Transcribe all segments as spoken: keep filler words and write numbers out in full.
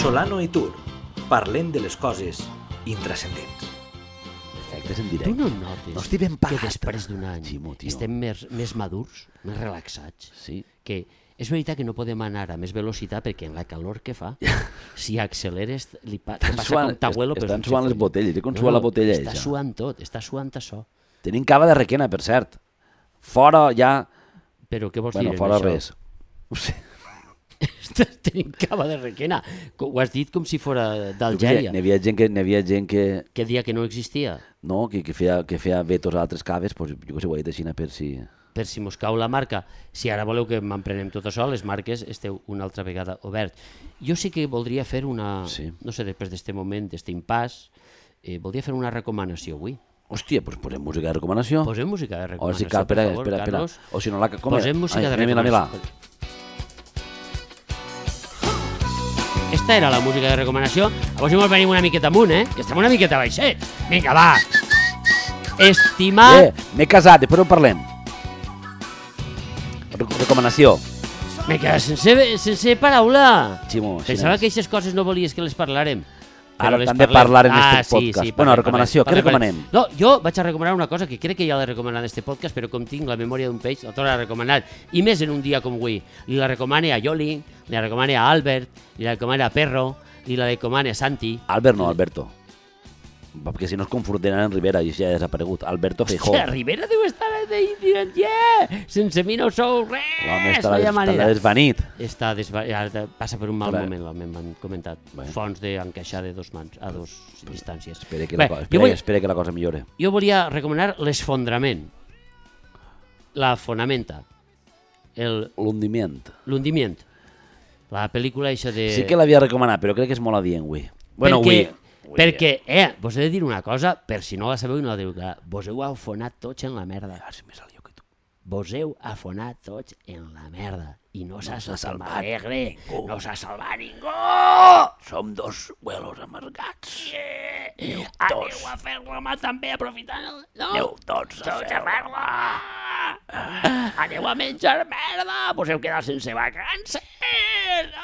Solano i Tur, parlem de les coses intrascendents. Efectes en directe. Tu no notes no estic ben pagat, que després d'un any Ximo, tio. estem més, més madurs, més relaxats? Sí. Que és veritat que no podem anar a més velocitat perquè en la calor que fa, si acceleres, li pa Estan passa suant, com t'abuelo. est estan suant les botelles, com sua la botella Està eixa. suant tot, està suant això. Tenim cava de requena, per cert. Fora ja... Però què vols Bueno, dir fora en això? res. No sé. Tenim cava de requena. Ho has dit com si fora d'Algèria. N'hi havia gent que... N'hi havia gent que... Que dia que no existia. No, que, que, feia, que feia vetos a altres caves, doncs jo que sé, ho he dit així per si... Per si mos cau la marca. Si ara voleu que m'emprenem tot això, les marques esteu una altra vegada obert. Jo sí que voldria fer una... Sí. No sé, després d'este moment, d'este impàs, eh, voldria fer una recomanació avui. Hòstia, doncs posem música de recomanació. Posem música de O recomanació, si cal, per espera, favor, espera, espera. Carlos. O si no la... Com Posem música Ai, de mira, mira, recomanació. Esta era la música de recomanació. A veure si mos venim una miqueta amunt, eh? Que estem una miqueta baixets. Vinga, va. Estimar... Eh, m'he casat, després ho parlem. Re- Recomanació. M'he quedat sense, sense paraula. Ximo, Pensava xinès. que aquestes coses no volies que les parlarem. Ara Però les t'han de parlem. parlar en Ah, este sí, podcast. sí, Bueno, parlem, recomanació, parlem, què parlem. recomanem? No, jo vaig a recomanar una cosa que crec que ja l'he recomanat en este podcast, però com tinc la memòria d'un peix, la torno a recomanar. I més en un dia com avui. Li la recomane a Yoli, li la recomane a Albert, li la recomane a Perro, li la recomane a Santi. Albert no, Alberto. Perquè si no es confondran en Rivera i ja ha desaparegut. Alberto Feijó. Hòstia, Rivera deu estar dient, yeah! Sense mi no sou res! L'home està, no hi ha des, està manera. desvanit. Està desva... passa per un mal Clar. moment, l'alment m'han comentat. Bé. Fons d'encaixar de dos mans, a dos distàncies. Espera que, Bé, la, co- jo espera, vull- espera que la cosa millore. Jo volia recomanar l'esfondrament, la fonamenta, el- L'hundiment. l'hundiment, la pel·lícula eixa de... Sí que l'havia recomanat, però crec que és molt adient, avui. Bueno, perquè, avui... perquè, eh, vos he de dir una cosa, per si no la sabeu i no la teniu clar, vos heu afonat tots en la merda. Ah, si me salió que tu. Vos heu afonat tots en la merda. I no s'ha s'ha salvat salvat alegre, ningú. no s'ha salvat ningú. Som dos huelos amargats. Yeah. tots. Aneu a fer-la també, aprofitant el... No? Aneu tots a Tots a fer-la. fer-la. Aneu a menjar merda, vos heu quedat sense vacances.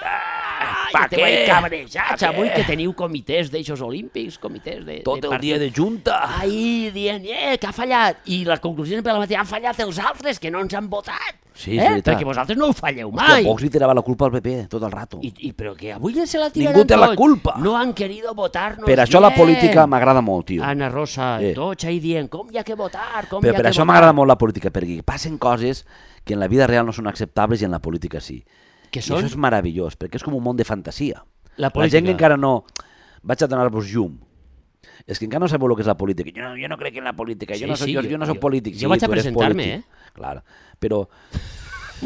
Ah, pa esteu ahí què? cabrejats Pa avui què? que teniu comitès d'eixos olímpics, comitès de... Tot de el dia de junta. Ahí dient, eh, que ha fallat. I la conclusió sempre la mateixa, han fallat els altres que no ens han votat. Sí, és eh? veritat. Perquè vosaltres no ho falleu Hòstia, mai. Vox li tirava la culpa al P P tot el rato. I, i, però que avui se la tiraran Ningú té la tots. culpa. No han querido votar-nos Per això la bien. política m'agrada molt, tio. Ana Rosa, Eh. tots ahí dient, com hi ha que votar, com Però hi ha per que això votar. m'agrada molt la política, perquè passen coses que en la vida real no són acceptables i en la política sí. Que I són això és meravellós, perquè és com un món de fantasia. la La política. gent que encara no... Vaig a donar-vos llum. És que encara no sabeu el que és la política. Jo no, jo no crec en la política, jo Sí, no soc, sí, jo, jo- jo no soc jo- polític. jo Sí, vaig a tu eres presentar-me, polític. Clar, però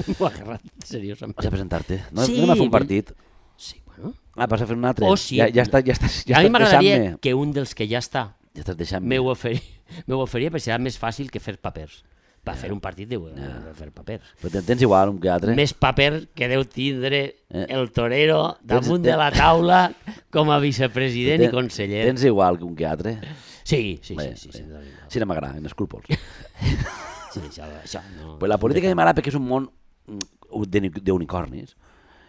M'ho ha agarrat, seriosament. vas a presentar-te. No, Sí, no anem a fer un però- partit. Sí, bueno. Ah, vas a fer un altre. O sí. Ja, ja, està, ja, estàs, ja a mi estàs m'agradaria deixant-me. que un dels que ja està Ja estàs deixant-me. m'ho oferia, m'ho oferia perquè serà més fàcil que fer papers. Per fer un partit deu de fer papers. Però ten- tens igual un que altre. Més paper que deu tindre Eh. el torero damunt Tens- de la taula com a vicepresident i Ten- conseller. Tens igual que un que altre. Sí, sí, Bé, sí. sí, sí, bé. sí, Sí, no m'agrada, en escrúpols. sí, això, això no. Pues la política a mi m'agrada perquè és un món mm, de- d'unicornis.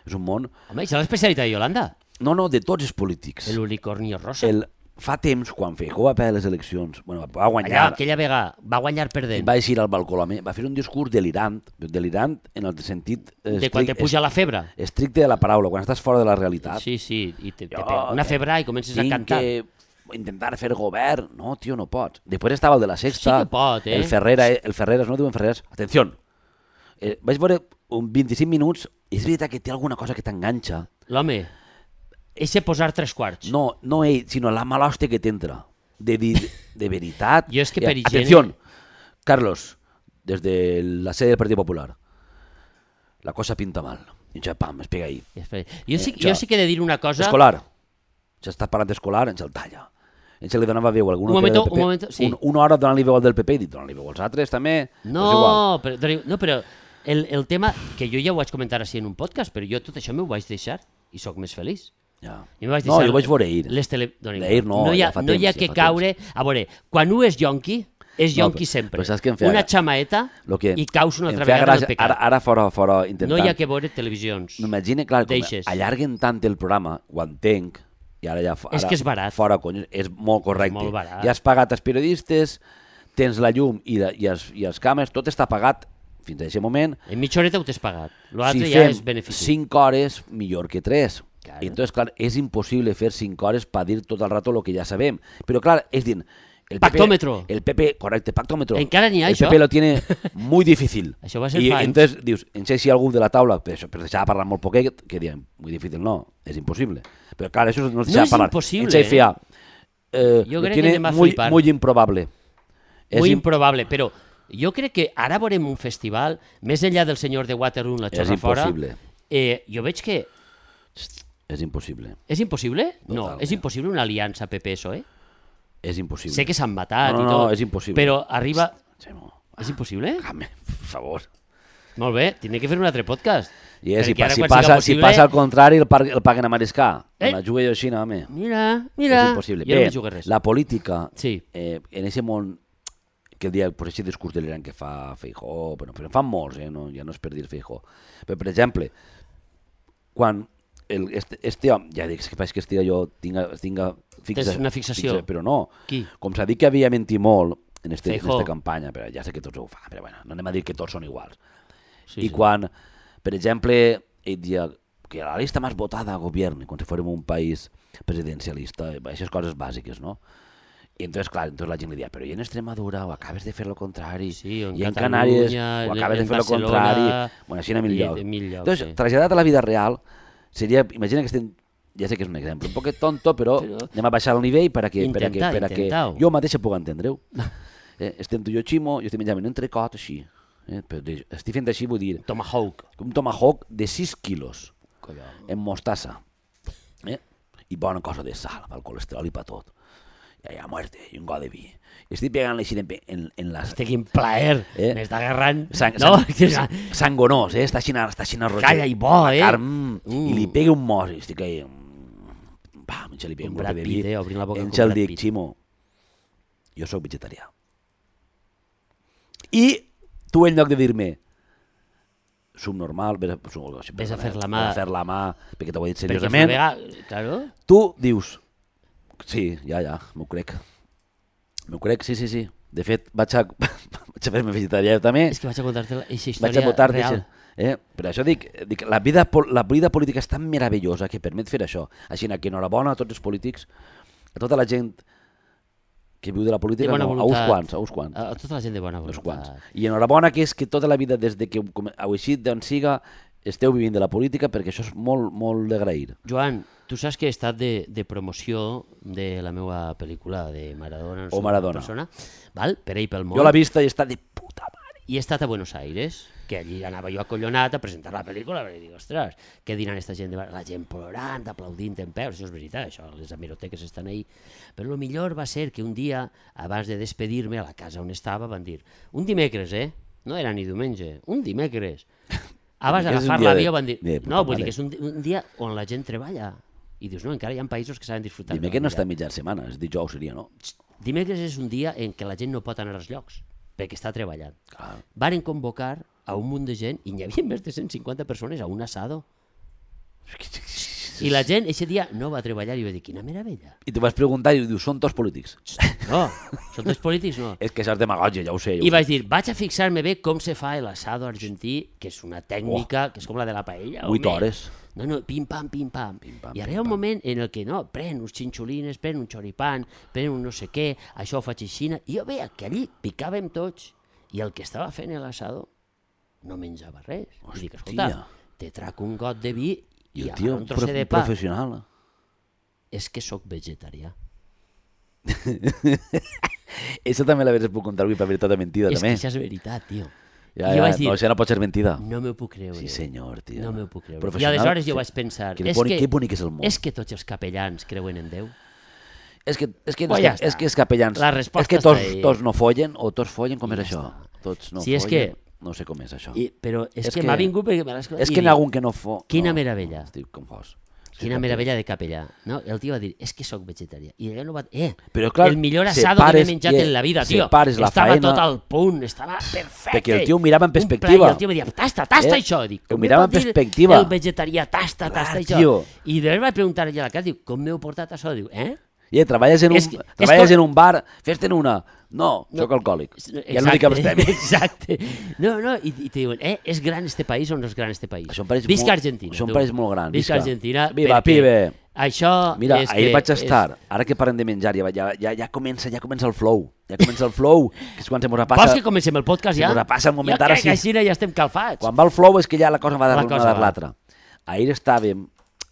És un món... Home, això és l'especialitat de Yolanda. No, no, de tots els polítics. El unicornio rosa. El... Fa temps, quan Feijó va perdre les eleccions, bueno, va Allà, guanyar, aquella vegada, va guanyar perdent. va eixir al balcó, l'home, va fer un discurs delirant, delirant en el sentit eh, De quan te estric- puja la febre. estricte de la paraula, quan estàs fora de la realitat. Sí, sí, i te, te Jo pega una febre i comences a tinc cantar. que intentar fer govern. No, tio, no pots. Després estava el de la Sexta. Sí que pot, eh? El Ferrera, el Ferreras, no diuen Ferreras. Atenció. Eh, vaig veure un vint-i-cinc minuts i és veritat que té alguna cosa que t'enganxa. L'home, eixe posar tres quarts. No, no ell, sinó la mala hòstia que t'entra. De dir, de veritat. Jo és que Eh, per higiene- Atenció, Carlos, des de la sede del Partit Popular. La cosa pinta mal. I ja, pam, es pega ahí. Espera, Jo sí, Eh, jo jo- sí que he de dir una cosa... Escolar. Si estàs parlant d'escolar, ens el talla. Ens li donava veu a algun Un que era momento, del P P. un momento, sí. Un, una hora donant-li veu al del P P i dic, donant-li veu als altres també. No, és igual. però, doni- no, però el, el tema, que jo ja ho vaig comentar així en un podcast, però jo tot això m'ho vaig deixar i sóc més feliç. Ja. I me vaig No, deixar jo vaig veure ahir. Les tele... Doni, D'ahir no, no hi ha, ja fa no hi ha temps, que ja fa caure... A veure, quan un és yonqui, és No, yonqui sempre. però saps què em feia Una gra- xamaeta Lo que i caus una em altra feia vegada en gràcia, el pecat. Ara, ara fora, fora intentant... No hi ha que veure televisions. M'imagina, clar, com Deixes. allarguen tant el programa, ho entenc, i ara ja... Ara, És que és barat. Fora, cony, és molt correcte. molt barat. Ja has pagat els periodistes, tens la llum i, de, i, els, i els càmeres, tot està pagat fins a aquest moment. En mitja horeta ho t'has pagat. L'altre Si ja fem és benefici. cinc hores, millor que tres. Claro. Entonces, clar, és impossible fer cinc hores per dir tot el rato lo que ja sabem. Però, clar, és dir... El P P, Pactómetro. El P P, correcte, pactómetro. Encara n'hi ha, el això? El P P lo tiene muy difícil. Això va ser I fa anys. entonces dius, no sé si algú de la taula, per, això, per deixar parlar molt poquet, que diem, muy difícil no, és impossible. Però clar, això no es deixa No és parlar. impossible, Ens feia, eh, Jo lo crec que tiene anem a muy, flipar. muy improbable. És Muy im- improbable, però jo crec que ara veurem un festival, més enllà del senyor de Waterloo, la És xorra fora, impossible. eh, jo veig que És impossible. és impossible? No, Totalment. és impossible una aliança P P-P S O E. És impossible. Sé que s'han matat No, no, i no, tot, és impossible. però arriba... Xemo, És impossible? déjame, por favor. Molt bé, tindré que fer un altre podcast. I és, si, Perquè ara si, quan passa, siga si possible- passa al contrari, el, par, el paguen a Mariscar. Eh? Eh? La jugué jo així, no, home. Mira, mira, És impossible. jo no Bé, me jugué res. la política, Sí. eh, en aquest món, que el dia, per aquest discurs delirant que fa Feijóo, però, però en fan molts, eh, no, ja no és per dir Feijóo. Però, per exemple, quan el, este, este home, ja dic, és que faig que estigui jo, tinga, tinga fixa, Tens una fixació. fixa, però no. Qui? Com s'ha dit que havia mentit molt en este, en Feijóo. esta campanya, però ja sé que tots ho fan, però bueno, no anem a dir que tots són iguals. Sí, I sí. quan, per exemple, ell dia que la lista més votada a govern, com si fórem un país presidencialista, aquestes coses bàsiques, no? I entonces, clar, entonces la gent li dia, però i en Extremadura o acabes de fer lo contrari, Sí, o en i en Catalunya, Canàries o en- acabes en de fer lo Barcelona, contrari, bueno, així en mil i llocs. en mil llocs, Entonces, sí. traslladat a la vida real, seria, imagina que estem, ja sé que és un exemple, un poquet tonto, però, Però- anem a baixar el nivell per a que, per a que, Intenta, per a que intenta-ho. jo mateixa puc entendre-ho. Eh, estem tu i jo ximo, jo estic menjant un entrecot així. Eh, però de- estic fent així, vull dir, Tomahawk. un tomahawk de sis quilos, Collons. en mostassa, eh? I bona cosa de sal, pel colesterol i per tot. I allà, muerte, i un got de vi. I estic pegant-li així en, en, en les... Hosti, quin plaer. Eh? M'està agarrant. Sang, no, sang, sang, sangonós, eh? Està així, està així roger. Calla i bo, eh? Carn, mm, Mm. I li pega un mos, i estic ahí... mm, Pam, i li pega Un un Brad glope de Pitt, vi. eh? Obrint la boca En com el Brad dic, Pitt. Ximo, jo sóc vegetarià. I tu, en lloc de dir-me subnormal, vés a, sub, Ves a fer la mà. Ves a fer la mà, perquè t'ho he dit Perquè és una seriosament. vegada... Claro. Tu dius, sí, ja, ja, m'ho crec. M'ho crec, sí, sí, sí. De fet, vaig a, vaig a fer-me vegetarià jo també. És que vaig a contar-te aquesta Vaig a història votar real. eh? Per això dic, dic la, vida, pol- la vida política és tan meravellosa que permet fer això. Així que enhorabona a tots els polítics, a tota la gent que viu de la política, De bona no, a uns voluntat. quants, a uns quants. A, a tota la gent de bona uns voluntat. quants. I enhorabona que és que tota la vida, des de que com- heu eixit d'on siga, esteu vivint de la política, perquè això és molt, molt d'agrair. Joan, tu saps que he estat de, de promoció de la meva pel·lícula de Maradona. No O sé, Maradona. Persona, val? Per ahí pel món. Jo l'he vista i està de puta mare. I he estat a Buenos Aires, que allí anava jo acollonat a presentar la pel·lícula, perquè dic, ostres, què diran esta gent? De... La gent plorant, aplaudint en peu, això és veritat, això, les hemeroteques estan ahí. Però el millor va ser que un dia, abans de despedir-me a la casa on estava, van dir, un dimecres, eh? No era ni diumenge, un dimecres. Abans Dimecres és un d'agafar dia l'avió de- van dir, de puta no, vull mare. dir que és un, un dia on la gent treballa. I dius, no, encara hi ha països que saben disfrutar. Dime de que la no està vida. mitja setmana, és dijous seria, no? Dimecres és un dia en què la gent no pot anar als llocs, perquè està treballant. Clar. Varen convocar a un munt de gent i n'hi havia més de cent cinquanta persones a un asado. I la gent, aquest dia, no va treballar i va dir, quina meravella. I tu vas preguntar i dius, són tots polítics. No, són tots polítics, no. És que això és demagògia, ja ho sé. Ja ho I sé. vaig dir, vaig a fixar-me bé com se fa l'asado argentí, que és una tècnica, que és com la de la paella. Vuit home. hores. No, no, pim-pam, pim-pam. Pim-pam, I ara hi ha un moment en el que no, pren uns xinxolines, pren un xoripan, pren un no sé què, això ho faig així, i jo veia que allí picàvem tots, i el que estava fent l'asado no menjava res. I dic, escolta, Hòstia. te trac un got de vi I i, el ara tio, un prof trosset de pa. professional. És que sóc vegetarià. Això també la puc contar avui per veritat o mentida, És també. que això és veritat, tio. Ja, I jo ja, vaig dir, no, això no pot ser mentida. no m'ho puc creure. Sí, senyor, tio. No m'ho puc creure. I Professional, aleshores jo sí. vaig pensar, Que és bonic, que, que bonic és el món. és que tots els capellans creuen en Déu. És que, és que, Pues és ja que, és està. que els capellans... La resposta és que tots, està ahí. tots no follen o tots follen, com I és ja això? està. Tots no Sí, és follen. que- No sé com és això. I, però és, És que, que- m'ha vingut perquè me l'has És que n'hi ha algun que no fo... Quina no, meravella. Estic confós. Quina meravella de capellà. No? El tio va dir, és que sóc vegetarià. I allò no va... Eh, Però, clar, el millor assado que m'he menjat en la vida, tio. la estava faena... tot al punt, estava perfecte. Perquè el tio ho mirava en perspectiva. Un pla, i el tio em deia, tasta, tasta eh? això. Dic, ho mirava en perspectiva. El vegetarià, tasta, clar, tasta tio. això. I després vaig preguntar allà a la casa, diu, com m'heu portat això? Diu, eh? I treballes en un, És que- treballes és com- en un bar, fes-te'n una. No, No. soc alcohòlic. Exacte, Ja no dic els premis. Exacte. No, no, i, i te diuen, eh, és gran este país o no és gran este país? Això em pareix Visca molt- Argentina. això em tu. pareix molt gran, Visca visca. Argentina. Viva, perquè pibe. Això Mira, és ahir que vaig estar, ara que parlem de menjar, ja, ja, ja, ja, comença, ja comença el flow, ja comença el flow, que és quan se mos És... passa... Vols que comencem el podcast ja? Se mos passa el moment, jo ara crec sí. que així ja estem calfats. Quan va el flow és que ja la cosa va La dar l'una cosa dar va. l'altra. Ahir estàvem,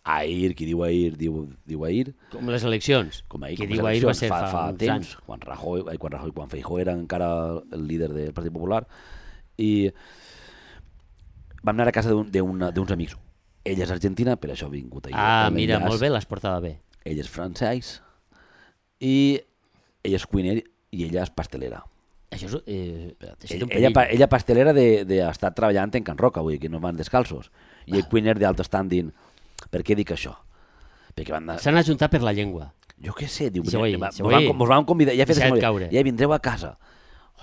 ahir, qui diu ahir, diu, diu ahir, Com les eleccions. com ahir, que com diu les ahir va eleccions, ser fa, fa uns temps, anys. quan Rajoy, ai, quan Rajoy, quan Feijóo era encara el líder del Partit Popular, i vam anar a casa d'un- d'una- d'uns amics. Ella és argentina, per això ha vingut ahir. Ah, el mira, enllaç. molt bé, l'has portada bé. Ell és francès i ell és cuiner i ella és pastelera. Això és... Eh, Ella, ella, pa- ella pastelera de, de estar treballant en Can Roca, vull dir que no van descalços. I el cuiner d'alt standing. Per què dic això? Perquè van anar... S'han ajuntat per la llengua. Jo què sé, diu, Se vull, va- se mos van, vull. mos van convidar, ja, fet, Deixa't caure. ja vindreu a casa.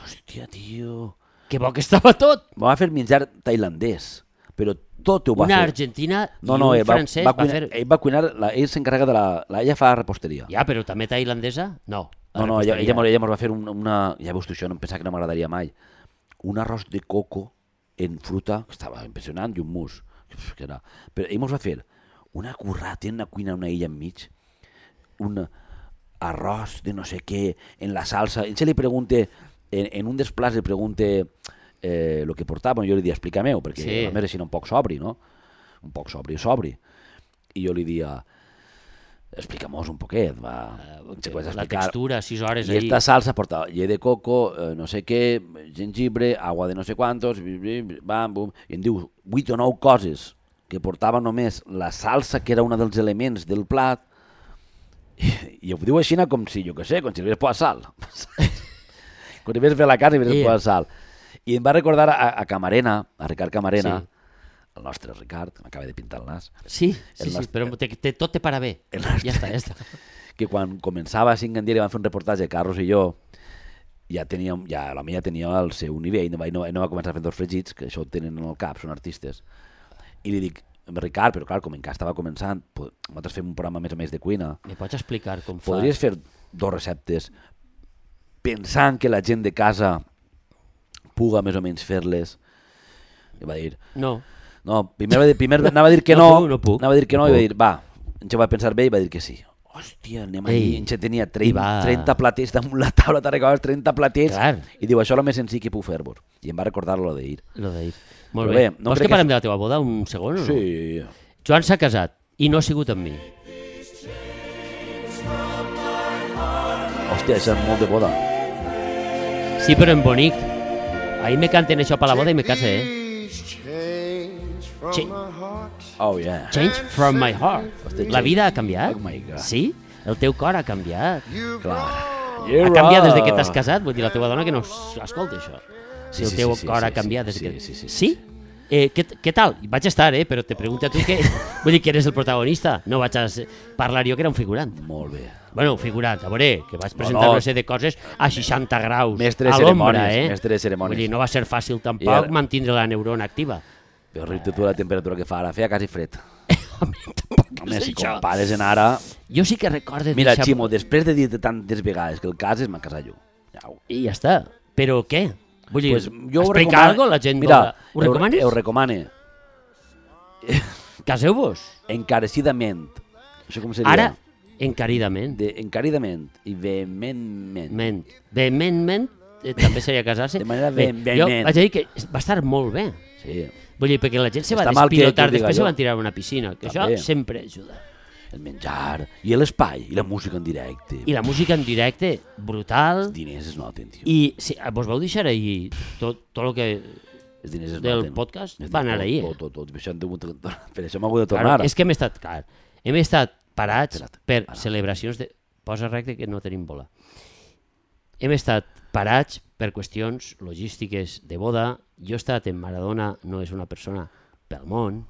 Hòstia, tio... Que bo que estava tot. Me va fer menjar tailandès, però tot ho va Una fer. argentina i No, no, un ell va, francès va, va, cuinar, fer... ell va cuinar, la, ell s'encarrega de la, la... Ella fa reposteria. Ja, però també tailandesa? No. la No, no, ella, reposteria. ella, mos- ella mos va fer un, una... Ja veus tu això, no em pensava que no m'agradaria mai. Un arròs de coco en fruta, que estava impressionant, i un mus. Que era... Però ell mos va fer una currata en una cuina, una illa enmig, un arròs de no sé què, en la salsa. Ell se li pregunta, en, en un dels plats li pregunta eh, lo que portava, jo li dia, explica-meu, perquè Sí. a més així un poc sobri, no? Un poc sobri, sobri. I jo li dia, explica-mos un poquet, va. Eh, Se puede la explicar. textura, sis hores Y ahí. esta salsa porta llet de coco, eh, no sé què, jengibre, agua de no sé quantos, bi- bi- bam, bum, i em diu vuit o nou coses que portava només la salsa, que era un dels elements del plat, i, i ho diu així com si, jo què sé, com si li hagués posat sal. Com si hagués fet la carn i li hagués Yeah. posat sal. I em va recordar a, a Camarena, a Ricard Camarena, Sí. el nostre Ricard, m'acaba de pintar el nas, Sí, sí, El sí, nostre- però te, te, tot te para bé. El nostre- Ja està, ja està. que quan començava a cinc en dia li van fer un reportatge, Carlos i jo, ja teníem, ja, la meva tenia el seu nivell, no va, no, no va començar a fer dos fregits, que això ho tenen en el cap, són artistes. I li dic, Ricard, però clar, com encara estava començant, po- nosaltres fem un programa més o més de cuina, Me pots explicar com fas? podries fer dos receptes pensant que la gent de casa puga més o menys fer-les? I va dir, No. no, primer, va dir, primer anava a dir que No no, puc, no puc, anava a dir que no, no i va puc. dir, va, ens va pensar bé i va dir que sí. Hòstia, anem Ei, allí, ens tenia i trenta, va. trenta platets damunt la taula, t'ha recordat trenta platets, Clar. i diu, això és el més senzill que puc fer-vos. I em va recordar lo d'ahir. Lo d'ahir. Molt Però bé. bé, no Vols crec que que- parlem de la teva boda un segon o no? Sí. Joan s'ha casat i no ha sigut amb mi. Hòstia, això és molt de boda. Sí, però en bonic. Ahir me canten això per la boda i me case, eh? Ch Oh, yeah. Change from my heart. Hosti, La vida ha canviat? Oh my God. Sí? El teu cor ha canviat. Clar. Ha canviat des de que t'has casat? Vull dir, la teva dona que no s- escolta això. Sí, el sí, teu sí, sí, cor sí, ha sí, canviat des sí, de que... sí, sí, sí. Sí? Eh, què, què tal? Vaig estar, eh? Però te pregunto a tu que... Vull dir que eres el protagonista. No vaig a s- parlar jo, que era un figurant. Molt bé. Bueno, un figurant, a veure, que vaig presentar no. una sèrie de coses a seixanta graus. Mestre de a l'ombra, cerimònies, eh? mestre de cerimònies. Vull dir, no va ser fàcil I tampoc ara- mantindre la neurona activa. Però riu-te tu la temperatura que fa ara, feia quasi fred. Home, tampoc Home, és si això. compares en ara... Jo sí que recorde... Mira, deixar- Ximo, després de dir-te tantes vegades que el cas és m'ha casat jo. Au. I ja està. Però què? Vull dir, Pues jo ho explica recomano- algo la gent... Mira, vola- ho recomanes? Ho recomane. Caseu-vos. Encarecidament. Això com seria? Ara, encaridament. De, encaridament i vehementment. Ment. Vehementment eh, també seria casar-se. De manera Bé, ve- jo vehement. vaig a dir que va estar molt bé. Sí, Vull dir, perquè la gent se va Està mal que- despilotar, que ho diga després se jo. van tirar a una piscina, que També. això sempre ajuda. el menjar, i l'espai, i la música en directe. I la música en directe, brutal. Els diners es noten, tio. I sí, vos vau deixar ahir tot, tot el que... Els diners es del noten. podcast Es va anar tot, ahir, eh? Tot, tot, tot. Per això, hem hagut de- per això hem hagut de Claro, tornar. és que hem estat, clar, hem estat parats Espera't, per ara. celebracions de... Posa recte que no tenim bola. Hem estat parats per qüestions logístiques de boda. Jo he estat en Maradona, no és una persona pel món,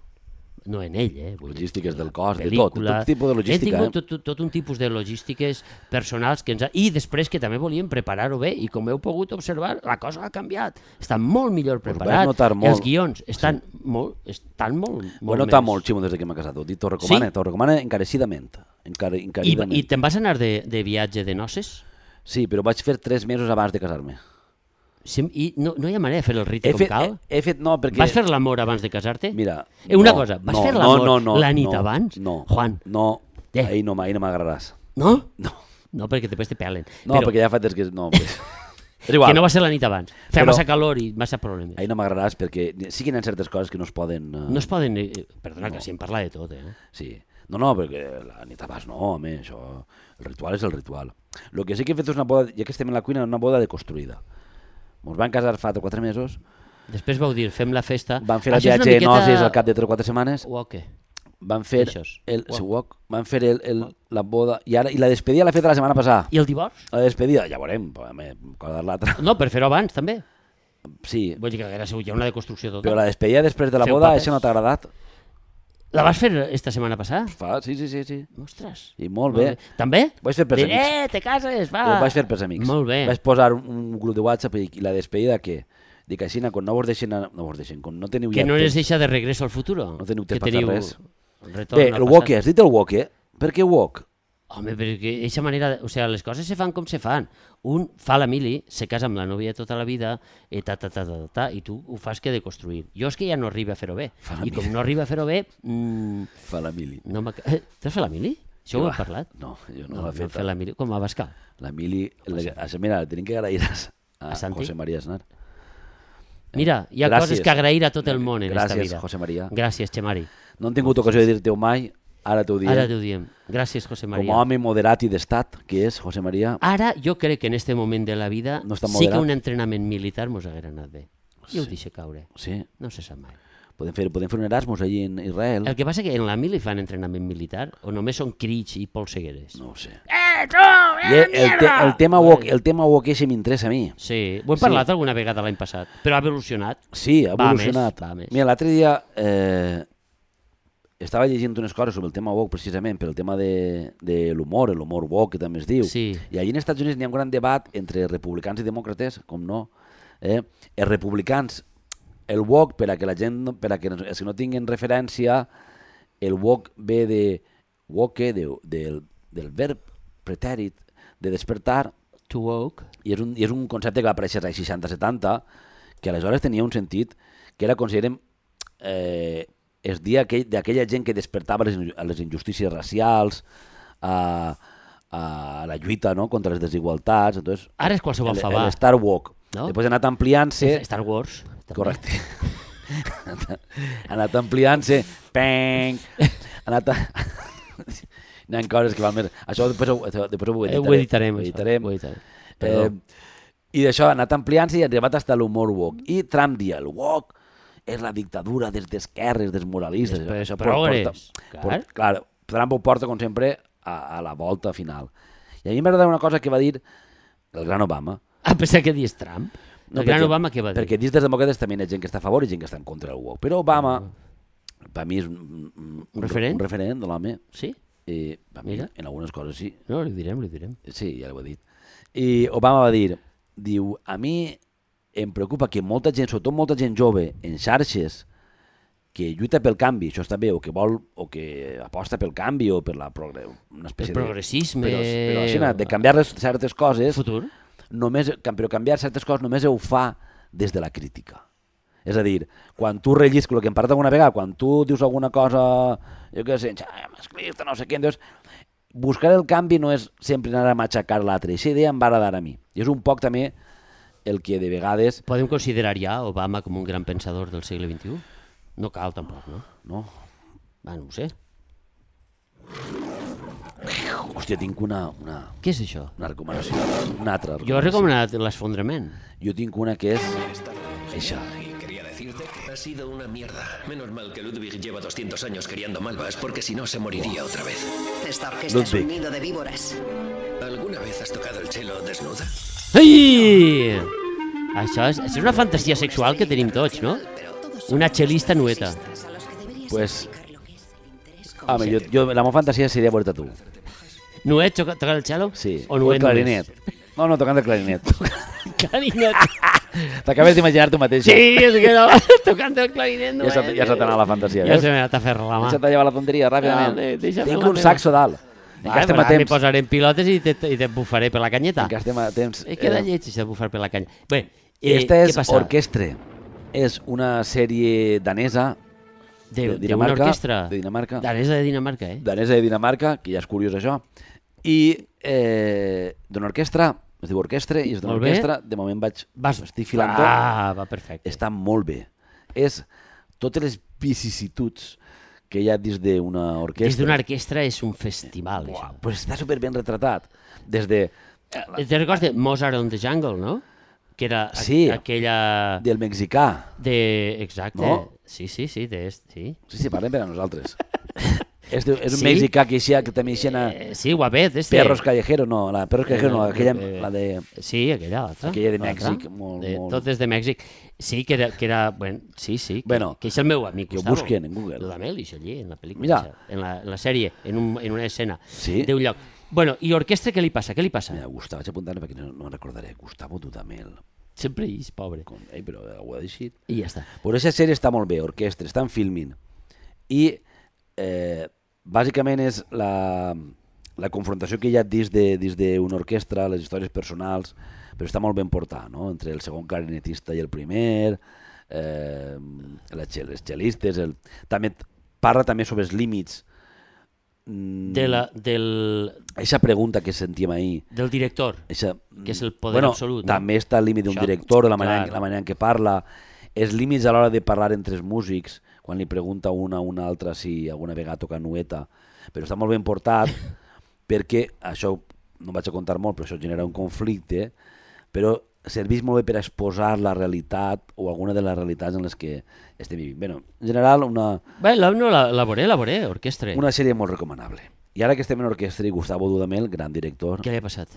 no en ell, eh? Logístiques del cos, de tot, tot tipus de logística. Hem tingut tot, tot, tot un tipus de logístiques personals que ens ha... i després que també volíem preparar-ho bé i com heu pogut observar, la cosa ha canviat. Està molt millor preparat. Molt... Els guions estan sí. molt, estan molt, molt ho he notat molt, Ximo, des que m'ha casat. T'ho recomana, sí? T'ho recomana encarecidament. Encar encaridament. I, i te'n vas anar de, de viatge de noces? Sí, però vaig fer tres mesos abans de casar-me. Sí, i no, no hi ha manera de fer el rite he com fet, cal? He, he fet, no, perquè... Vas fer l'amor abans de casar-te? Mira... Eh, una no, cosa, vas no, fer l'amor no, no, la nit no, abans? No, Juan. no, eh. ahir no, ahir no m'agradaràs. No? No. No, perquè després te pelen. No, però... perquè ja fa temps que... No, pues... és igual. Que no va ser la nit abans. Feia però... massa calor i massa problemes. Ahir no m'agradaràs perquè sí que hi ha certes coses que no es poden... Uh... No es poden... Eh, perdona, no. Que si em parla de tot, eh? Sí. No, no, perquè la nit abans no, home, això... El ritual és el ritual. El que sí que he fet és una boda, ja que estem en la cuina, una boda deconstruïda. Ens van casar fa quatre mesos. Després vau dir, fem la festa. Van fer el viatge de miqueta... noces al cap de tres o quatre setmanes. O què? Van fer el, el walk, van fer el, el, la boda i, ara, i la despedida l'ha fet la setmana passada. I el divorç? La despedida, ja veurem, cosa l'altra. No, per fer-ho abans també. Sí. Vull dir que era segur, hi ha una deconstrucció total. Però la despedida després de la Feu boda, això no t'ha agradat? La vas fer esta setmana passada? Fa, sí, sí, sí, sí. Ostres. I molt bé. bé. També? Ho vaig fer pels amics. Eh, te cases, va. Ho vaig fer pels amics. Molt bé. Vaig posar un, un grup de WhatsApp i la despedida què? Dic així, quan no vos deixen, no vos deixen, quan no teniu que ja no temps, les deixa de regreso al futuro. No teniu temps per fer res. Bé, el walk, has dit el walk, eh? Per què walk? Home, perquè aquesta manera, o sigui, les coses se fan com se fan. Un fa la mili, se casa amb la nòvia tota la vida, i ta, ta, ta, ta, ta, i tu ho fas que de construir. Jo és que ja no arriba a fer-ho bé. I com no arriba a fer-ho bé... Mmm, fa la mili. No eh, T'has fet la mili? Això ho hem parlat? No, jo no, no l'he fet. No fer la mili, com a Bascal. La mili, la, mira, la tenim que agrair a, a, a José María Aznar. Mira, hi ha gràcies. Coses que agrair a tot el món en gràcies, esta vida. Gràcies, José María. Gràcies, Xemari. No han tingut ocasió de dir-te-ho mai, ara t'ho diem. Ara t'ho diem. Gràcies, José María. Com a home moderat i d'estat, que és José María... Ara jo crec que en este moment de la vida no sí que un entrenament militar mos haguera anat bé. I ho deixa caure. Sí. No se sap mai. Podem fer, podem fer un Erasmus allí en Israel. El que passa que en la mili fan entrenament militar o només són crits i polsegueres. No ho sé. Eh, tu, eh, el, te, el tema walk, el tema walk ese m'interessa a mi. Sí, ho hem parlat sí. alguna vegada l'any passat, però ha evolucionat. Sí, ha evolucionat. Va més, va més. Mira, l'altre dia eh, estava llegint unes coses sobre el tema walk precisament, per el tema de, de l'humor, l'humor walk que també es diu. Sí. I allí en Estats Units n'hi ha un gran debat entre republicans i demòcrates, com no. Eh? Els republicans, el walk, per a que la gent, per a que els que no tinguin referència, el walk ve de woke, de, de, del verb pretèrit de despertar, to woke, i és un, i és un concepte que va aparèixer als seixanta setanta, que aleshores tenia un sentit que era, considerem, eh, es dia d'aquella gent que despertava les, a les injustícies racials, a, a la lluita, no?, contra les desigualtats. Entonces, ara és qualsevol favà. El Star Walk. No? Després ha anat ampliant-se... Star Wars. També. Correcte. Ha anat ampliant-se... Peng! Ha anat... A... Hi ha coses que van més... Això després ho, després ho editarem. Ho editarem. Ho editarem. Ho editarem. Eh, I d'això ha anat ampliant-se i ha arribat fins a l'humor woke. I Trump dia, el woke és la dictadura des d'esquerres, dels moralistes. Després, això progres. Porta, clar. Por, clar, Trump ho porta, com sempre, a, a la volta final. I a mi m'agrada una cosa que va dir el gran Obama. Ah, pensava que dius Trump. El no, gran perquè, Obama què va dir? Perquè dins dels demòcrates també hi ha gent que està a favor i gent que està en contra del woke. Però Obama, mm. per mi és un, un, un referent, un referent de l'home. Sí? I, mi, en algunes coses sí. No, li direm, li direm. Sí, ja l'ho he dit. I Obama va dir, diu, a mi em preocupa que molta gent, sobretot molta gent jove, en xarxes, que lluita pel canvi, això està bé, o que vol, o que aposta pel canvi, o per la progre, una espècie el progressisme... De, però, però així, de canviar les, certes coses... Futur. Només, però canviar certes coses només ho fa des de la crítica. És a dir, quan tu rellisques el que hem parlat alguna vegada, quan tu dius alguna cosa, jo què sé, masclista, no sé què, doncs, buscar el canvi no és sempre anar a matxacar l'altre. Aquesta idea em va agradar a mi. I és un poc també el que de vegades... Podem considerar ja Obama com un gran pensador del segle vint-i-u? No cal tampoc, no? No. Va, no ho sé. Hòstia, tinc una... una Què és això? Una recomanació. Una altra recomanació. Jo he recomanat l'esfondrament. Jo tinc una que és... Eixa. Ha sido una mierda. Menos mal que Ludwig lleva doscientos años criando malvas, porque si no se moriría otra vez. Esta orquesta Ludwig. Es un nido de víboras. ¿Alguna vez has tocado el cello desnuda? Ai! Això és, això és una fantasia sexual que tenim tots, no? Una cel·lista nueta. Pues Home, jo, jo, la meva fantasia seria veure-te tu. Nuet tocant el cello? Sí, O o el Nuet clarinet. No, no, tocant el clarinet. Clarinet. T'acabes d'imaginar tu mateixa. Sí, és que no. Tocant el clarinet, Ja Nuet. se, ja se t'ha anat la fantasia, Ja veus? se m'ha anat a fer la mà. Ja se t'ha llevat la tonteria, ràpidament. Dale, deixa'm Tinc la un meva. saxo dalt. Encara Vale, estem pues a ara m'hi temps. posaré en pilotes i te, i te bufaré per la canyeta. Encara estem a temps. Eh, queda Eh, lleig, això de bufar per la canya. Bé, eh, Esta què és passa? Orquestre. És una sèrie danesa De, de de una Dinamarca. orquestra. De Dinamarca. Danesa de Dinamarca, eh? danesa de Dinamarca, que ja és curiós això, i eh, d'una orquestra, es diu Orquestre, i és d'una Molt bé. orquestra, de moment vaig, Vas... estic filant-ho, Ah, va perfecte. està molt bé. És totes les vicissituds que hi ha dins d'una orquestra. Des d'una orquestra és un festival, Buah, això. pues està superben retratat. Des de... Eh, Te recordes de Mozart on the Jungle, no? Que era a- Sí. aquella... del mexicà. De... Exacte. No? Sí, sí, sí, de... Sí. Sí, sí, parlem per a nosaltres. és, de, és un Sí? mexicà que, així, que també hi ha Eh, sí, guapet, este. Perros Callejeros, no, la Perros Callejeros no, Eh, aquella, eh, la de... Sí, aquella altra. Aquella de l'altra. Mèxic, molt- de, molt- Tot és de Mèxic. Sí, que era... Que era bueno, sí, sí. Que, Bueno, que és el meu amic, que ho Gustavo. busquen en Google. Dudamel, i allí, en la pel·lícula. Mira. això, En la, en la sèrie, en, un, en una escena Sí? d'un lloc. Bueno, i orquestra, què li passa? Què li passa? Mira, Gustavo, vaig apuntar perquè no, no me'n recordaré. Gustavo Dudamel. Sempre és pobre. Com, ei, però ho ha deixat. I ja està. Però aquesta sèrie està molt bé, orquestra, estan filming. I eh, bàsicament és la, la confrontació que hi ha dins de- dins d'una orquestra, les històries personals, però està molt ben portat, no? Entre el segon clarinetista i el primer, eh, les, xel- les xelistes, el, també t- parla també sobre els límits. Mm, De la, del, Eixa pregunta que sentíem ahir, del director. eixa, Que és el poder bueno, absolut, no? També està el límit d'un Això, director, la manera, clar. la manera en què parla, els límits a l'hora de parlar entre els músics, quan li pregunta una a una altra si alguna vegada toca nueta, però està molt ben portat perquè, això no vaig a contar molt, però això genera un conflicte, però serveix molt bé per exposar la realitat o alguna de les realitats en les que estem vivint. Bé, en general, una, Bé, la, no, la, la veuré, la veuré, orquestra. una sèrie molt recomanable. I ara que estem en orquestra, i Gustavo Dudamel, gran director, Què li ha passat?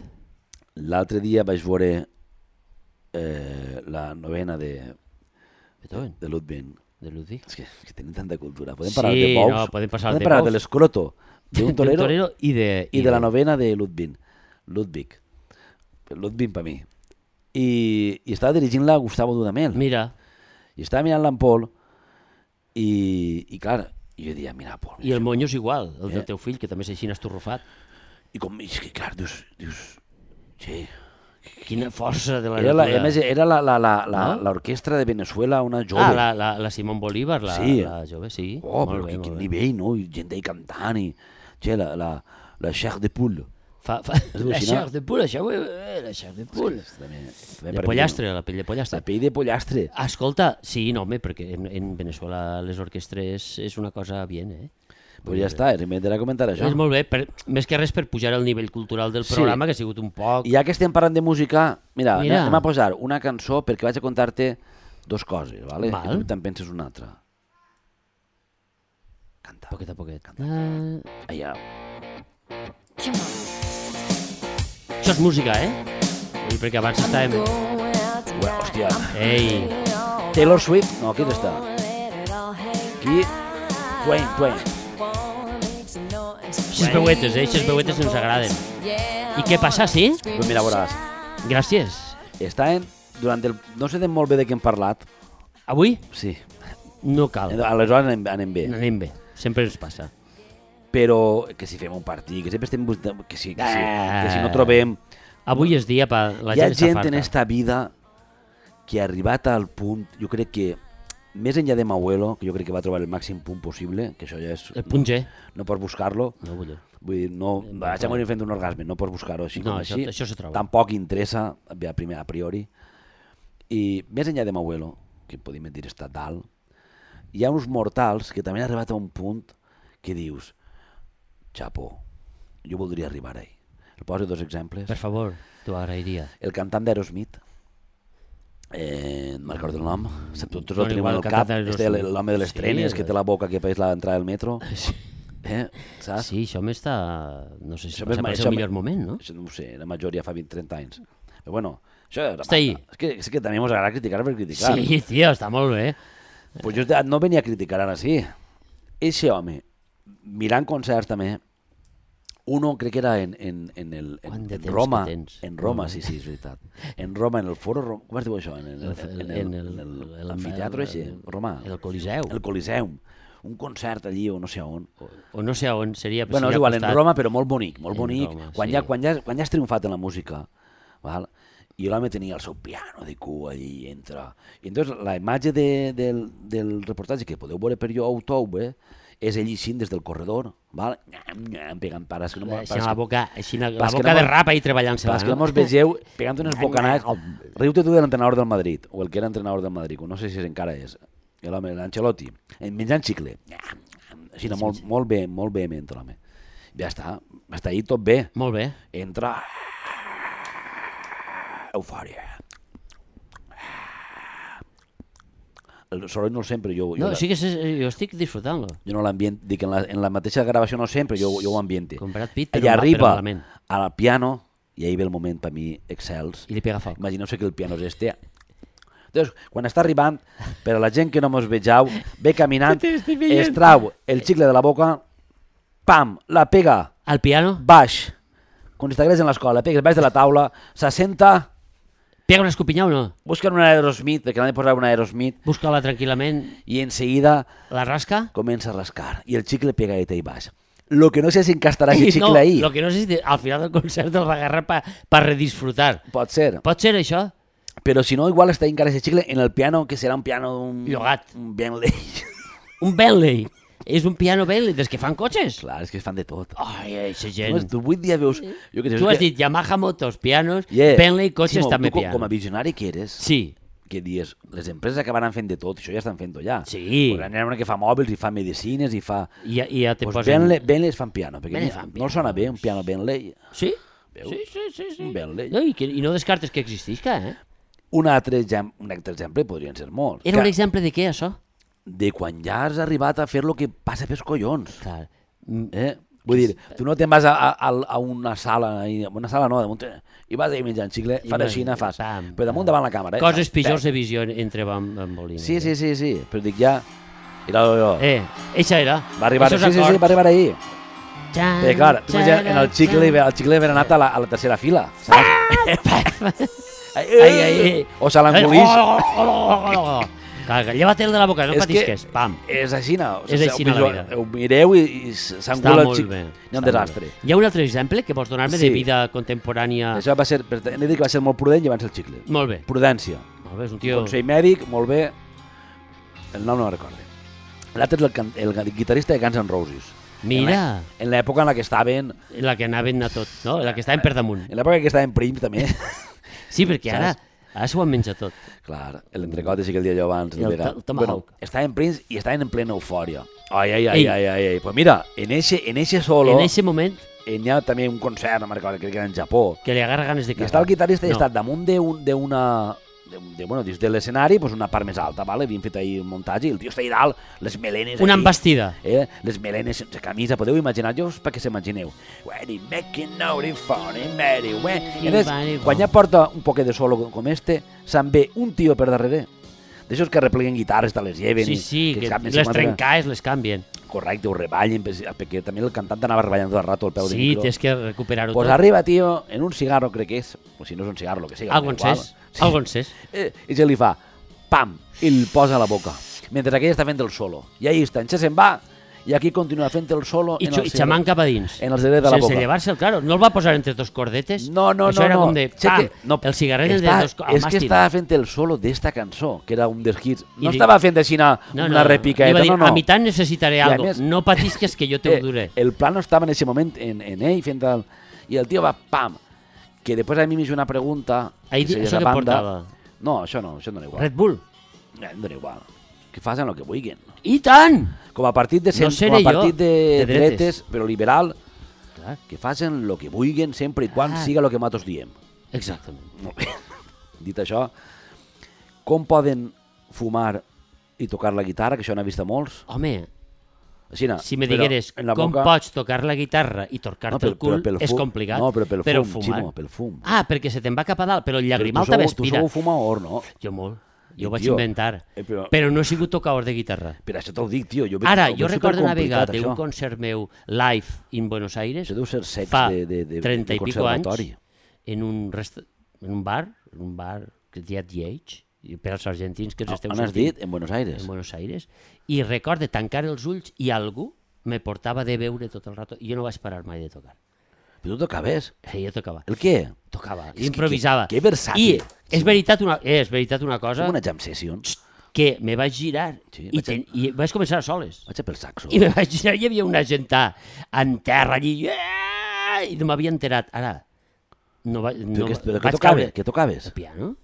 l'altre dia vaig veure eh, la novena de, Beethoven, de Ludwig. de Ludwig. És que, és que tenim tanta cultura. Podem Sí, parlar de bous, no, podem passar podem de parlar bous. de l'escroto, d'un torero, torero i de... i de la novena de Ludwig. Ludwig. Ludwig per mi. I, i estava dirigint-la Gustavo Dudamel. Mira, I estava mirant-la en Pol i, i clar, jo dia, mira, Pol. i el monyo és igual, el Eh? del teu fill, que també és així estorrufat. I com, és que clar, dius, dius, sí. Quina força de la Era, la, a natura. més, era la, la, la, la, No? l'orquestra de Venezuela, una jove. Ah, la, la, la Simón Bolívar, la, Sí. la jove, sí. Oh, molt però bé, que, molt quin bé. nivell, no? I gent d'ahí cantant i... Che, la, la, la Chair de Poule. Fa, fa, la al·lucinant. xar de poule, això, eh, la xar de poule. També, també De per mi, pollastre, la pell de no? pollastre. La pell de pollastre. Escolta, sí, no, home, perquè en, en Venezuela les orquestres és una cosa bien, eh? Pues ja està, m'intentarà comentar això. És molt bé, per, més que res per pujar el nivell cultural del Sí. programa, que ha sigut un poc... I ja que estem parlant de música, mira, Mira. anem a posar una cançó perquè vaig a contar-te dos coses, ¿vale? Val. I tu te'n penses una altra. Canta. Poquet a poquet. Ah, Allà. això és música, eh? Vull dir, perquè abans estàvem... Ué, hòstia. Ei, Taylor Swift? No, qui està? Qui? Twain, Twain. aquestes veuetes, eh? Aquestes veuetes ens agraden. I què passa, sí? Pues mira, veuràs. Gràcies. Estàvem, durant el... No sé de molt bé de què hem parlat. Avui Sí. no cal. Aleshores anem, anem bé. Anem bé, sempre ens passa. Però que si fem un partit, que sempre estem... buscant- Que si, que si, Ah. que si no trobem... Avui és dia per... La Hi ha gent està gent farta. en esta vida que ha arribat al punt, jo crec que, més enllà de Mauelo, que jo crec que va trobar el màxim punt possible, que això ja és... El punt G. No pots buscar-lo. No vull dir. Vull dir, no, vaig a morir fent un orgasme, no pots buscar-ho així No, com això- així. això se troba. Tampoc interessa, a primer a priori. I més enllà de Mauelo, que podem dir està dalt, hi ha uns mortals que també han arribat a un punt que dius, xapó, jo voldria arribar ahí. El poso dos exemples. Per favor, t'ho agrairia. El cantant d'Aerosmith, eh, no me'n recordo el nom, tots No, el tenim igual, al el cap, cantant d'Aerosmith. este, l'home de les Sí, trenes, que el- té la boca que pareix l'entrada del metro, eh, saps? Sí, això m'està... No sé si Això passa m'és- per això ser el m'és- millor moment, no? Això no ho sé, la major ja fa vint trenta anys. Però bueno, això era Està ahí. És que, és que també ens agrada criticar per criticar. Sí, tio, està molt bé. Pues jo no venia a criticar ara sí. Eixe home mirant concerts també, uno crec que era en, en, en, el, en, Quant de en temps Roma, que tens. en Roma, sí, sí, és veritat. En Roma, en el foro, Rom- com es diu això? En el, en el, en el, en el, el- l'amfiteatre el- així, romà. El Coliseu. El Coliseum. Un concert allí o no sé on. O no sé on seria. Bueno, és seria igual, en costat. Roma, però molt bonic, molt En bonic. Roma, quan, sí. ja, quan, ja, quan ja has triomfat en la música, val? I l'home tenia el seu piano de cua allí, entra. I entonces la imatge de, del, del reportatge que podeu veure per YouTube, eh, és ell així des del corredor, val? Nyam, nyam, pegant pares. Que no, Així pares la que, boca, així la, la pas que boca no de mos- rap ahí treballant-se. pas que no mos vegeu pegant unes bocanades. Riu-te tu de l'entrenador del Madrid, o el que era entrenador del Madrid, o no sé si encara és, l'home, l'Ancelotti, menjant xicle. Nyam, nyam, així, no, molt, molt bé, molt vehement l'home. Ja està, està ahí tot bé. Molt bé. Entra... Eufòria. El soroll no el sempre, jo, jo, No, la- sí que és, jo estic disfrutant-lo. jo no l'ambient, dic, en la, en la mateixa gravació no sempre, jo, jo ho ambiente. Com Brad Pitt, però Allà mal- però arriba malament. al piano, i ahí ve el moment per mi excels. I li pega foc. Imagineu-se que el piano és este. Entonces, quan està arribant, per a la gent que no mos vegeu, ve caminant, es trau el xicle de la boca, pam, la pega Al piano, baix, com si estigués en l'escola, pegues baix de la taula, s'assenta, pega una escopinyà o no? busquen un Aerosmith, perquè l'han de posar un Aerosmith, Busca-la tranquil·lament, i en seguida la rasca. comença a rascar, i el xicle pega ahí baix. Lo que no sé si encastarà aquest xicle no, ahí. Lo que no sé si al final del concert el va agarrar per pa redisfrutar. Pot ser. Pot ser això? Però si no, igual està encara aquest xicle en el piano, que serà un piano... Un, Llogat. Un Bentley. Un Bentley. És un piano Bentley, des que fan cotxes. Clar, és que es fan de tot. Ai, eixa Tu, gent. tu avui dia veus... Jo que sé, Tu és has que- dit Yamaha motos, pianos, Yeah. Bentley, cotxes, Ximo, també tu, com, piano. com a visionari que eres, Sí, que dius, les empreses acabaran fent de tot, això ja estan fent-ho ja. Sí. Pues n'hi ha una que fa mòbils i fa medicines i fa... i ja, i ja te Pues posen... Bentley, Bentley es fan piano, perquè Bentley ni- fan no els sona piano. bé un piano Bentley. Sí? Veus? Sí, sí, sí. sí. Un Bentley. No, i, que, I no descartes que existisca, eh? Un altre, exem un altre exemple podrien ser molts. Era un Que- exemple de què, això? De quan ja has arribat a fer el que passa pels collons. Clar. Mm, Eh? Vull dir, tu no te'n vas a, a, a una sala, a una sala no, damunt, i vas ahí menjant xicle, I fa vas- així, fas, pam, però damunt pam. davant la càmera. Eh? Coses Fas, pitjors pam. de visió entre Bam- Bambolina. Sí, sí, sí, sí, però dic ja... Mira, jo, Eh, eixa era. va arribar, Eixos sí, sí, sí, acords. va arribar ahí. Txan, Perquè, clar, tu imagina, en el txan, xicle, el xicle haver anat a la, a la tercera fila, saps? ai, Ai, ai, ai. O se l'engolís. Oh, oh, oh, oh, oh. Clar, lleva-te'l de la boca, no És patisques. que Pam. És així, no? És així, no, la vida. Ho mireu i, i Està s'engula el molt xic. bé. Hi ha està un molt desastre. bé. Hi ha un altre exemple que vols donar-me Sí. de vida contemporània? Això va ser, per tant, he de dir que va ser molt prudent llevant-se el xicle. Molt bé. Prudència. Molt bé, és un Un tio... consell mèdic, molt bé. El nom no el recordo. L'altre és el, can- el guitarrista de Guns N' Roses. Mira, En l'època en la que estaven... la que anaven a tot, no? La que estaven per damunt. En l'època que estaven prims, també. Sí, perquè ara, Saps? ara s'ho han menjat tot. Clar, l'entrecot sí que el dia jo abans. El vegà- to- tomahawk. estaven prims i estaven en plena eufòria. Ai, ai, ai, Ei. ai, ai, ai. Pues mira, en eixe, en eixe solo, En aquest moment, eh, n'hi ha també un concert, no me'n recordo, crec que era en Japó, que li agarra ganes de i cagar. està el guitarrista i No. està damunt d'una... De una, de, de, bueno, dins de l'escenari, pues una part més alta, vale? Havien fet ahir un muntatge i el tio està ahí dalt, les melenes Una aquí, embastida. eh? les melenes sense camisa, podeu imaginar-vos perquè s'imagineu. When he making out in funny, Mary, when... I entonces, Funny, quan ja porta un poquet de solo com este, se'n ve un tio per darrere, d'aixòs que repleguen guitarres, te les lleven, Sí, i sí, que saben les cinquanta- trencades les canvien. Correcte, ho reballen, perquè també el cantant anava reballant tot el rato al peu del Sí, micro. tens que recuperar-ho Pues tot. arriba, tio, en un cigarro, crec que és, o si no és un cigarro, el que sigui. Algo igual. encès, algo encès. Eh, I se li fa, pam, i el posa a la boca, mentre aquell està fent el solo. I ahí està, en se'n va, i aquí continua fent el solo I, en xu- el i xamant cap a dins. en el secret de la Sense boca. llevar-se'l, claro. No el va posar entre dos cordetes. No, no, Això no, era no. com de, Sé pam, que- no, el cigarret de està- dos... al És que màstil. estava fent el solo d'esta cançó, que era un dels hits. No I di- estava fent així una, No, una no, repicaeta, iba a dir, no, no. A mitad necesitaré a algo. més- No patisques que jo te ho duré. Eh, el plano estava en aquest moment en, en ell fent el... I el tio va, pam, que després a mi m'hizo una pregunta... Ahí, que se això esa que banda- portava? No, això no, això em dona igual. Red Bull. Eh, Em dona igual. Que facin el que vulguin. I tant! Com a partit de, No cent, seré com a jo, partit de, de dretes. dretes, però liberal, Clar, que facin el que vulguin sempre i quan Ah. siga el que nosaltres diem. exactament. Molt bé. Dit això, com poden fumar i tocar la guitarra, que això n'he vist a molts? Home, Així, no, si me però digueres en la com boca- pots tocar la guitarra i torcar-te però- el cul, però pel és fum- complicat. No, però pel fum, fumar. Ximo, pel fum. Ah, perquè se te'n va cap a dalt, però el llagrimal tu també sou, tu aspira. sou fumador, no? Jo molt. Jo ho vaig Tio, inventar. eh, però- Però no he sigut tocador de guitarra. Per això te'l dic, tio. Jo veig- Ara, ho jo veig recordo una supercomplicat, vegada d'un això. concert meu live in Buenos Aires, Això deu ser sex fa de, de, de, trenta de i pico anys, conservatori. en un, resta... en un bar, en un bar que es deia The Age, i per als argentins que ens esteu On has sentint, dit? En Buenos Aires. en Buenos Aires, i recorde tancar els ulls i algú me portava de veure tot el rato i jo no vaig parar mai de tocar. Però tu tocaves. Sí, jo tocava. El què? Tocava, És que improvisava. que- que versàtil. I és veritat una, eh, és veritat una cosa Com una jam session. que me vaig girar Sí, i, vaig a- ten, i vaig començar a soles. Vaig a pel saxo. I me vaig girar i hi havia una gent en terra allí yeah! i no m'havia enterat. Ara, no, va, Però, no que, però què vaig tocaves? caure. Què tocaves? El piano,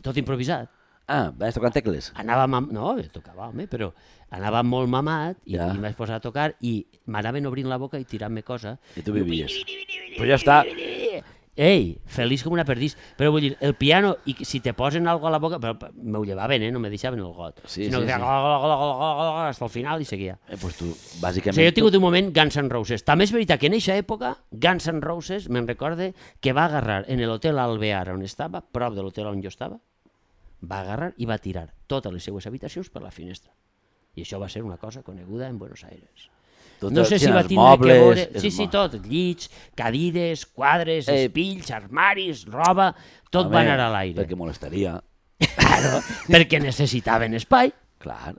tot improvisat. Ah, vas tocant tecles. Anava, mam... no, tocava, home, però anava molt mamat i, Ja. i em vaig posar a tocar i m'anaven obrint la boca i tirant-me cosa. I tu vivies. Però ja està. Ei, feliç com una perdís. Però vull dir, el piano, i que si te posen algo a la boca, però m'ho llevaven, eh? No me deixaven el got. Sí, sinó sí, que sí. feia gla, gla, gla, gla, gla, gla, hasta el final i seguia. Eh, pues tu, O bàsicament... sigui, jo he tingut un moment Guns N' Roses. També és veritat que en aquesta època Guns N' Roses me'n recorde que va agarrar en l'hotel Alvear on estava, prop de l'hotel on jo estava, va agarrar i va tirar totes les seues habitacions per la finestra. I això va ser una cosa coneguda en Buenos Aires. Tot No el- sé si sí, va els tindre mobles, que veure... els Sí, sí, mo- tot. Llits, cadires, quadres, Eh, espills, armaris, roba... Tot Home, va anar a l'aire. Perquè molestaria. Claro, perquè necessitaven espai. Clar.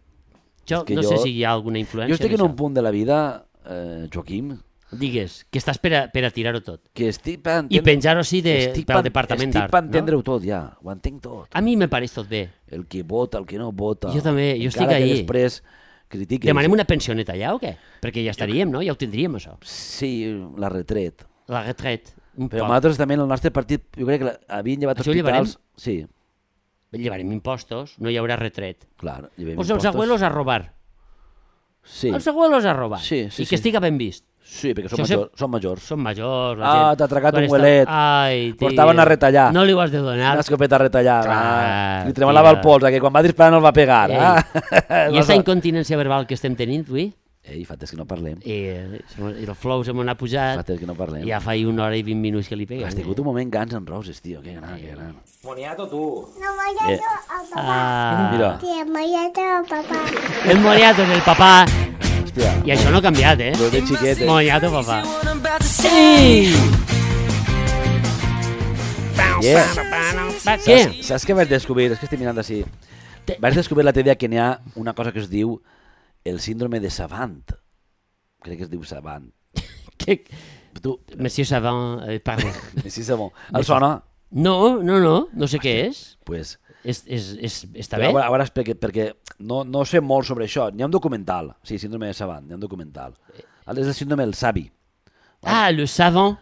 Jo És que no jo- sé si hi ha alguna influència. Jo estic en d'això. un punt de la vida, eh, Joaquim, Digues, que estàs per a, per a tirar-ho tot. que estic per I entendre... penjar-ho així de, estic pel per- departament Estic d'art. per No? entendre-ho tot, ja. Ho entenc tot. A mi me pareix tot bé. El que vota, el que no vota. Jo també, jo estic Encara que ahí. després critiques. Demanem una pensioneta allà o què? Perquè ja estaríem, no? Ja ho tindríem, això. Sí, la retret. La retraite. Un Però poc. nosaltres també, el nostre partit, jo crec que la- havien llevat Això ho llevarem? hospitals... Sí, Llevarem impostos, no hi haurà retret. clar. llevem Pues els impostos. abuelos a robar. Sí, Els abuelos a robar. Sí, sí, I que sí. estiga ben vist. sí, perquè són, Això majors, són majors. Són majors, la Ah, gent... t'ha atracat quan un està- huelet. Ai, tio. Portaven a retallar. No li ho has de donar. Una escopeta retallada. Clar, Li tremolava tio. el pols, que quan va disparar no el va pegar. Ei. Ah. I aquesta incontinència verbal que estem tenint, avui, Ei, fa temps que no parlem. i, i el flow se m'ha pujat, Fa temps que no parlem. ja fa una hora i vint minuts que li peguem. Has tingut un moment Guns N' Roses, tio. Que gran, que gran. Moniato, tú. No voy Eh, a papá. Ah, Mira, Sí, voy a papá. el moniato del papà. hòstia, I això no ha canviat, eh? lo de xiquet. Moniato, papà. Sí! Yeah. Què? Saps, saps què vaig descobrir? És que estic mirant així. Te- Vaig descobrir l'altre dia que n'hi ha una cosa que es diu el síndrome de Savant. Crec que es diu Savant. Que... Tu, Monsieur Savant, eh, perdó. sí, Savant. El sona? No, no, no, no sé què és. Pues, És, és, és, està però bé? a veure, perquè, perquè no, no sé molt sobre això. N'hi ha un documental. Sí, síndrome de Savant, n'hi ha un documental. És el síndrome del savi. Ah, le savant.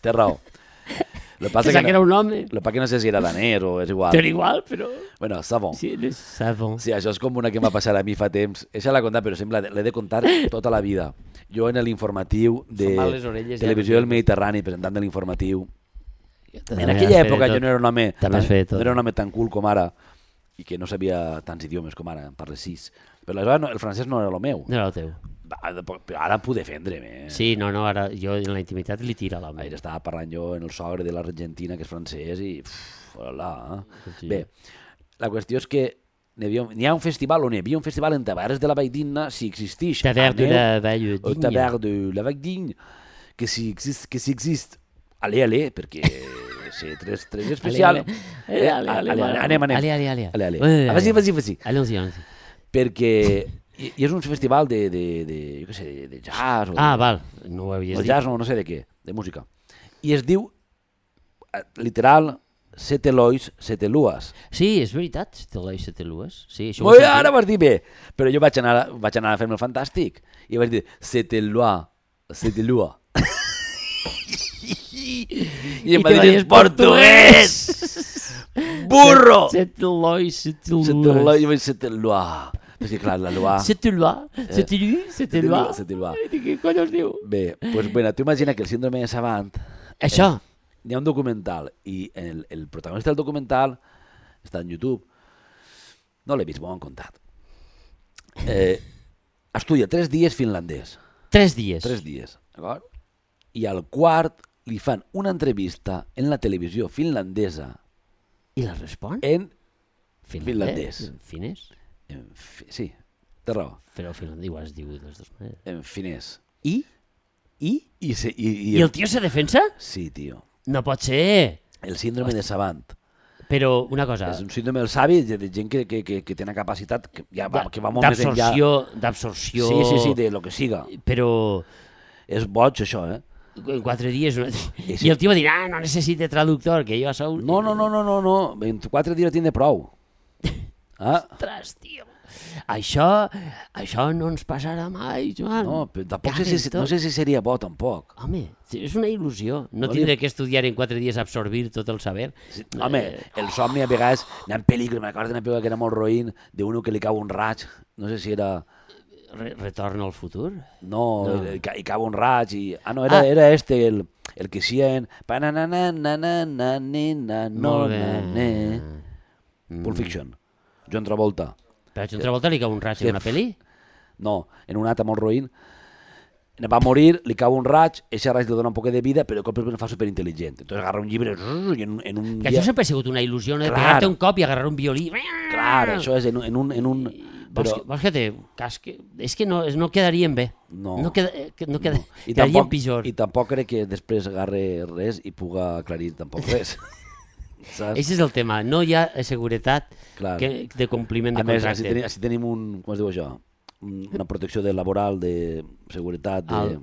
Té raó. Lo que passa Pensava que era que, un no, home. lo que passa que no sé si era danès o és igual. Però igual, però... Bueno, Savant. Sí, le savant. Sí, això és com una que m'ha passat a mi fa temps. Eixa l'he contat, però sempre l'he de contar tota la vida. Jo en l'informatiu de Fan mal les orelles, ja, Televisió del perquè- Mediterrani, presentant de l'informatiu. També En has aquella fet època tot. jo no era un home També has tan, fet tot. no era un home tan cool com ara i que no sabia tants idiomes com ara, en parle sis. Però aleshores no, el francès no era el meu. No era el teu. Va, però ara puc defendre'm. Eh? Sí, no, no, ara jo en la intimitat li tira l'home. Ahir estava parlant jo en el sogre de l'Argentina, que és francès, i... Uf, hola, eh? Sí. Bé, la qüestió és que n'hi havia, n'hi ha un festival on hi havia un festival en Tavernes de la Valldigna, si existeix. Taverne de aneu la Vall au Digna. Taverne de la Valldigna, que si existe, que si existe. Allez, allez, perquè c'est tres, tres especial. Ale, ale, ale, ale, ale, ale, anem, anem. ale, ale, ale. Ale, ale. Eh, Ah, vas-hi, ale. vas-hi, vas-hi. Allons-y, allons-y. Perquè i, i és un festival de, de, de jo què sé, de, de jazz o Ah, de, val, no ho havies o dit. jazz, no, no sé de què, de música. I es diu, eh, literal, Sete Lois, Sete Luas. Sí, és veritat, te l'he set lues. Sí, això ho Ui, he sentit. ara vas dir bé, però jo vaig anar, vaig anar a fer-me el fantàstic i vaig dir, Sete Lua, Sete Lua. I em I va te va dir dir, en portuguès! Burro! Set lois, set Sete Lua, lues. jo vaig dir Sete Lua. Perquè clar, la Lua... Set loi, set lui, set Sete loi. Lua, Sete Lua. Què cony es diu? Bé, doncs bueno, tu imagina que el síndrome de Savant Això, hi ha un documental i el, el protagonista del documental està en YouTube. No l'he vist, m'ho han contat. Eh, estudia tres dies finlandès. tres dies. Tres dies, d'acord? I al quart li fan una entrevista en la televisió finlandesa I la respon? en Finlandès. finlandès. Finès? En fi... Sí, té raó. Però finlandès igual es diu de les dues maneres. En finès. I? I? I, se, i, i, I el tio se defensa? Sí, tio. No pot ser. El síndrome de Savant. Però una cosa... És un síndrome del savi de, de gent que, que, que, que té una capacitat que, ja va, que va molt més enllà. D'absorció, d'absorció... Sí, sí, sí, de lo que siga. Però És boig, això, eh? en quatre dies... Una... I I, sí. el tio va dir, ah, no necessite traductor, que jo sou... No, no, no, no, no, no. En quatre dies tindré prou. Ah? Ostres, tio. Això, això no ens passarà mai, Joan. No, però tampoc sé si, no sé si seria bo, tampoc. Home, és una il·lusió. No, No tindré li- que estudiar en quatre dies a absorbir tot el saber. Sí, home, el somni a vegades n'hi ha pel·lícules, me recordo d'una pel·lícula que era molt roïn, d'uno que li cau un raig, no sé si era... Re Retorn al futur? No, No. no. Hi cau un raig i... Ah, no, era, Ah. era este, el, el que hacía en... Pa-na-na-na-na-na-na-na, no, Molt bé. na-na. Mm. Pulp Fiction. John Travolta. Però a John Travolta li cau un raig en una pel·li? No, en un altre molt roïn. Va morir, li cau un raig, ese raig li dona un poc de vida, però de cop el fa superintel·ligent. Entonces agarra un llibre i en, un- en un Que això sempre ha sigut una il·lusió, no? De Clar. pegar-te un cop i agarrar un violí. Clar, això és en, un- en un... En un Vols, però, que, vols que te casque? És que no, no quedarien bé. No. No, queda, eh, que- no queda, no. I, quedarien tampoc, pitjor. I tampoc crec que després agarre res i puga aclarir tampoc res. Saps? Aquest és el tema. No hi ha seguretat Clar. que, de compliment A de més, contracte. així tenim, així tenim un... Com es diu això? Un- Una protecció de laboral, de seguretat, de... Al...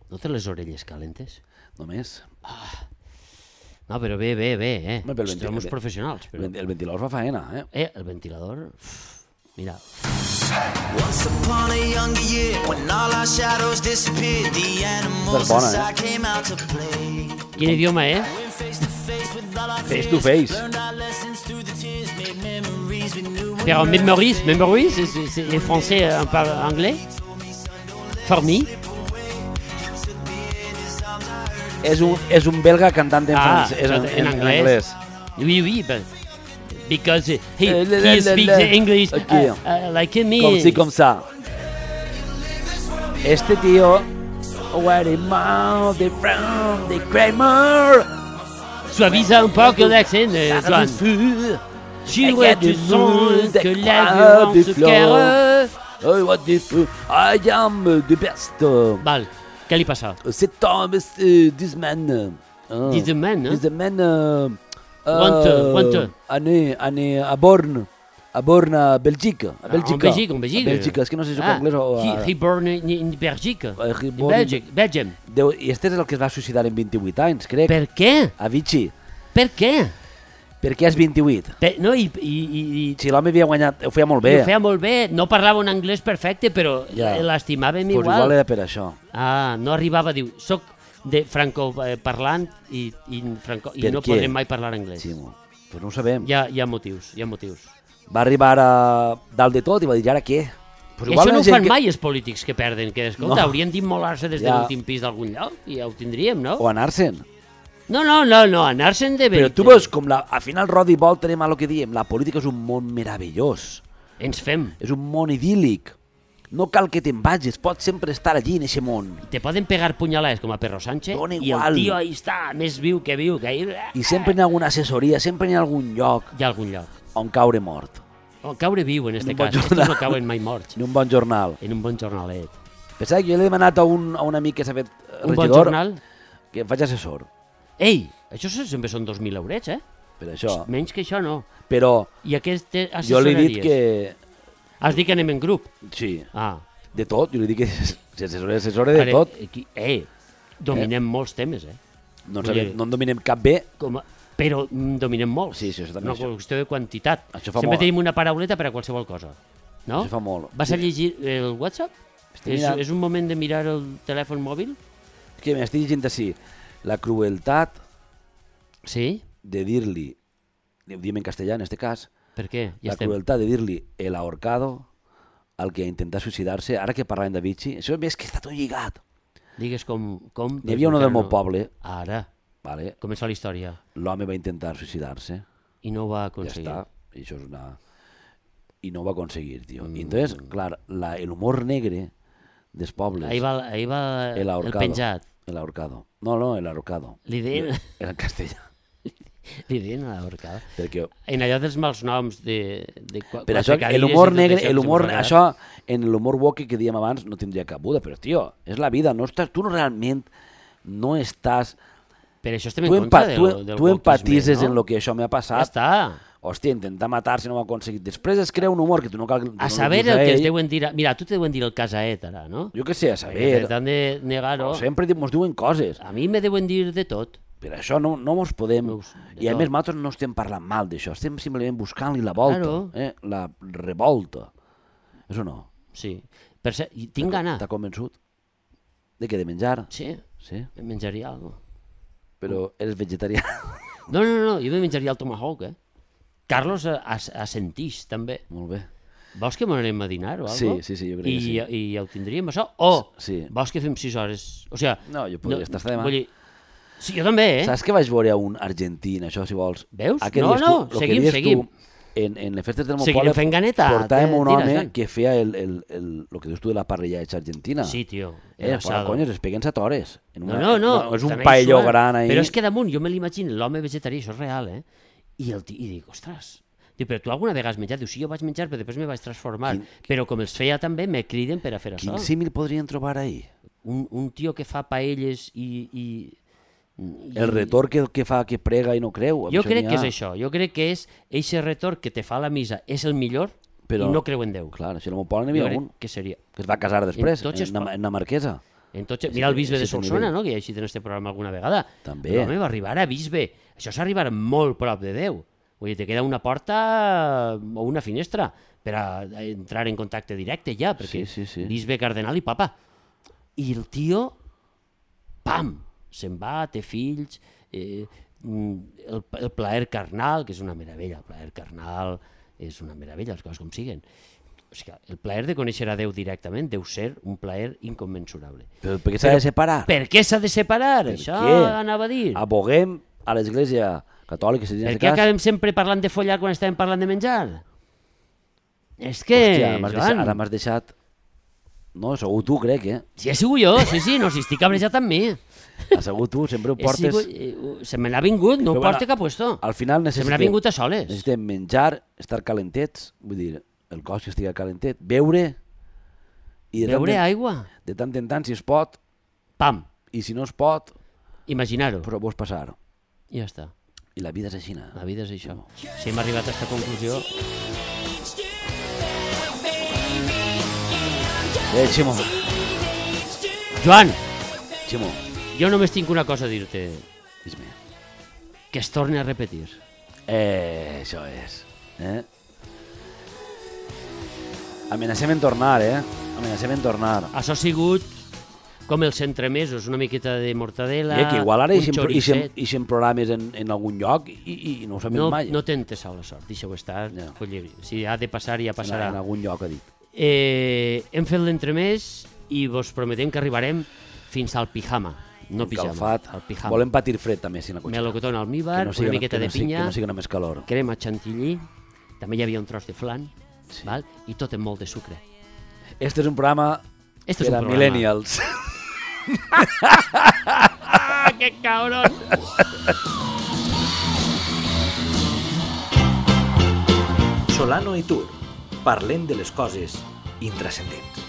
No té les orelles calentes? Només. No, però bé, bé, bé, eh? Home, però el Som uns venti- professionals. El, Però... vent- el ventilador fa faena, eh? Eh, el ventilador... Uf, mira, Once upon a younger year, when all our shadows disappeared, the animals bona, eh? inside came out to play. quin idioma, eh? Went face to face with all our Face to fears, face. learned our lessons through the tears, made memories we knew would Però never Memories, Memories, c'est- c'est c'est- les Français euh, parlent anglais? For me? És un, és un belga cantant en, Ah, francès, en, en en, en anglès. anglès. Oui, oui, but because he, Eh, le- he le- speaks le- English Ok. uh, uh, like me. Com si, com ça. Este tío... Where the mouth, the frown, the Kramer. Suavisa un poco l'accent, euh, Joan. J'irai du son que la violence cœur. Oh, what the f... I am the best. Val, què li passa? Cet homme, uh, this man. Uh, This man, eh? This man... Uh, Want, want. Ane, ane, a Born. A Born, a Belgique. A Bèlgica. En Belgique, en Belgique. A Bèlgica, és que no sé si soc Ah, anglès o... he, he born in, in Belgique. Eh, he In born in- Belgium. Belgium. Déu, I este és el que es va suïcidar en vint-i-vuit anys, crec. Per què? A Vichy. Per què? Per què és vint-i-vuit? Per, no, i, i, i, i Si l'home havia guanyat, ho feia molt bé. ho feia molt bé. No parlava un anglès perfecte, però Ja. l'estimàvem Pues igual. igual era per això. Ah, no arribava a dir, soc de franco-parlant i, i, franco, i Per no què? podrem mai parlar anglès. Sí, mo. Pues no ho sabem. Hi ha, hi ha motius, hi ha motius. Va arribar a dalt de tot i va dir, "I ara què? Pues I això no la ho gent fan que- mai els polítics que perden, que escolta, No. haurien d'immolar-se des de Ja. l'últim pis d'algun lloc i ja ho tindríem, no? O anar-se'n. No, no, no, no, anar-se'n de Però veritat. tu veus com la, al final Rodi vol tenim el que diem, la política és un món meravellós, Ens fem. és un món idíl·lic. No cal que te'n vagis, pots sempre estar allí en aquest món. Te poden pegar punyalades com a Perro Sánchez Dona i igual. el tio ahí està, més viu que viu, que ahí... I sempre hi ha alguna assessoria, sempre hi ha algun lloc Hi ha algun lloc. on caure mort. O caure viu, en este un bon cas. Estos jornal. no cauen mai morts. En un bon jornal. En un bon jornalet. Pensava que jo l'he demanat a un, a un amic que s'ha fet eh, Un bon regidor jornal? que em faig assessor Ei, això sempre són dos mil eurets, eh? per això. Menys que això no. Però I aquestes jo li he dit assessoraries? que... Has dit que anem en grup? Sí, Ah. de tot. Jo li dic que s'assessora assessora de Ara, tot. aquí- Eh, dominem molts temes, eh? No, en vull sabem, dir- no en dominem cap bé. Com a... Però mm, dominem molts. Sí, sí, això també, Una això. qüestió de quantitat. Això fa Sempre molt. tenim una parauleta per a qualsevol cosa. No? Això fa molt. Vas a llegir el WhatsApp? Estic És, mirant. és un moment de mirar el telèfon mòbil? Que m'estic llegint així. La crueltat Sí? de dir-li, ho diem en castellà en este cas, Per què? Ja la estem. crueltat de dir-li el ahorcado al que intenta suïcidar-se, ara que parlàvem de Vichy, això és que està tot lligat. Digues com... com N'hi havia uno del encara meu no- poble, Ara, vale? comença la història. L'home va intentar suïcidar-se, I no ho va ja aconseguir. està, i això és una... I no ho va aconseguir, tio. Mm. I entonces, clar, la, el humor negre dels pobles, Ahí va, ahí va el el ahorcado, penjat. el ahorcado. No, no, el ahorcado. Li deien... Era en castellà. Li deien a l'ahorcada. Perquè... En allò dels mals noms de... de Per això, l'humor negre, l'humor, això, en l'humor woke que dèiem abans, no tindria cabuda, però, tio, és la vida, no estàs, tu realment no estàs... Per això estem tu en contra empa, del, tu, del tu empatitzes wokeisme, no? en el que això m'ha passat. Ja està. Hòstia, intentar matar si no ho ha aconseguit. Després es crea un humor que tu no cal... A saber el que es deuen dir... Mira, tu te deuen dir el casaet, ara, no? Jo què sé, a saber... T'han de negar-ho. Sempre mos diuen coses. A mi me deuen dir de tot. Per això no, no mos podem... Us, I a tot. més, nosaltres no estem parlant mal d'això, estem simplement buscant-li la volta, Claro. eh? La revolta. Això no. Sí. Per ser, i tinc gana. T'ha convençut? De què? De menjar? Sí, Sí? em menjaria alguna cosa. Però eres vegetarià. No, no, no, jo me menjaria el tomahawk, eh? Carlos assentix, també. Molt bé. Vols que m'anem a dinar o Sí, alguna sí, sí, jo crec I, que sí. I ja ho tindríem, això? O Sí. vols que fem sis hores? O sigui, No, jo podria estar hasta demà. Vull dir, sí, jo també, eh? Saps que vaig veure un argentí, això, si vols? Veus? Ah, que No, dius no, tu, lo que seguim, dius seguim. Tu, en, en les festes del meu Seguirem poble fent ganeta, portàvem te- un tira, home Joan. que feia el, el, el, el que dius tu de la parrillada argentina. Sí, tio. Eh, el fora asado. conyes, es peguen set hores. En No, una, no, no. és un estan ahí paelló suant. gran ahí. Però és que damunt, jo me l'imagino, l'home vegetarià, això és real, eh? I, el, ti- i dic, ostres, dic, però tu alguna vegada has menjat? Diu, sí, jo vaig menjar, però després me vaig transformar. Quin- Però com els feia també, me criden per a fer Quin això. símil podrien trobar ahí? Un, un tio que fa paelles i... i, i El retorn que, que fa que prega i no creu. amb Jo això crec n'hi que ha. és això. Jo crec que és eixe retorn que te fa la missa és el millor Però- i no creu en Déu. Clar, això no m'ho poden, n'hi Jo havia crec un que seria. que es va casar després, En tots en, es en, pot. en la marquesa. Entonces, Ese- mira el bisbe de ese Solsona, nivell. no? Que ja ha eixit en este programa alguna vegada. També. L'home va arribar a bisbe. Això és arribar molt prop de Déu. Vull dir, te queda una porta o una finestra per a entrar en contacte directe ja, perquè Sí, sí, sí. bisbe, cardenal i papa. I el tio, pam, se'n va, té fills, eh, mm, el, el plaer carnal, que és una meravella, el plaer carnal és una meravella, les coses com siguen. O sigui, el plaer de conèixer a Déu directament deu ser un plaer incommensurable. Però per què s'ha de separar? Per què s'ha de separar? Per Això què? anava a dir. Aboguem a l'església catòlica, si Per tens què cas. acabem sempre parlant de follar quan estàvem parlant de menjar? És que, Hòstia, m'has Joan, deixat, ara m'has deixat... No, segur tu, crec, eh? si he sigut jo, sí, sí, no, si estic cabrejat amb mi. Ha segur tu, sempre ho He portes... sigut, eh, se me n'ha vingut, no ho Però bueno, porta cap puesto. Al final Se me n'ha necessitem, vingut a soles. necessitem menjar, estar calentets, vull dir, el cos que estigui calentet, beure, i de, Beure tant, aigua, en, de tant en tant, si es pot, pam, i si no es pot, imaginar-ho. però vols passar. I ja està. I la vida és així. La vida és això. Si hem arribat a aquesta conclusió... Eh, Ximo, Joan, Ximo, jo només tinc una cosa a dir-te, dis-me. que es torni a repetir. Eh, això és. Eh? Amenacem en tornar, eh? Amenacem en tornar. Això ha sigut com els entremesos, una miqueta de mortadela, Eh, que igual ara un eixen, eixen, xoricet. eixen programes en, en algun lloc i, i, i no ho sabem No, mai. no t'entessau la sort, deixa-ho estar. Ja. Collir. Si ha de passar, ja en, passarà. en algun lloc, ha dit. Eh, hem fet l'entremès i vos prometem que arribarem fins al pijama. No pijama, Calfat. al pijama. Volem patir fred també, si la cotxera. Melocotón al almíbar, Que no una siga- miqueta que de no sigui- pinya, Que no sigui només calor. crema chantilly, també hi havia un tros de flan, Sí. val? I tot amb molt de sucre. Este és un programa Este és per un a programa. millennials. Ah, que cabrón! Solano i Tur. Parlem de les coses intrascendents.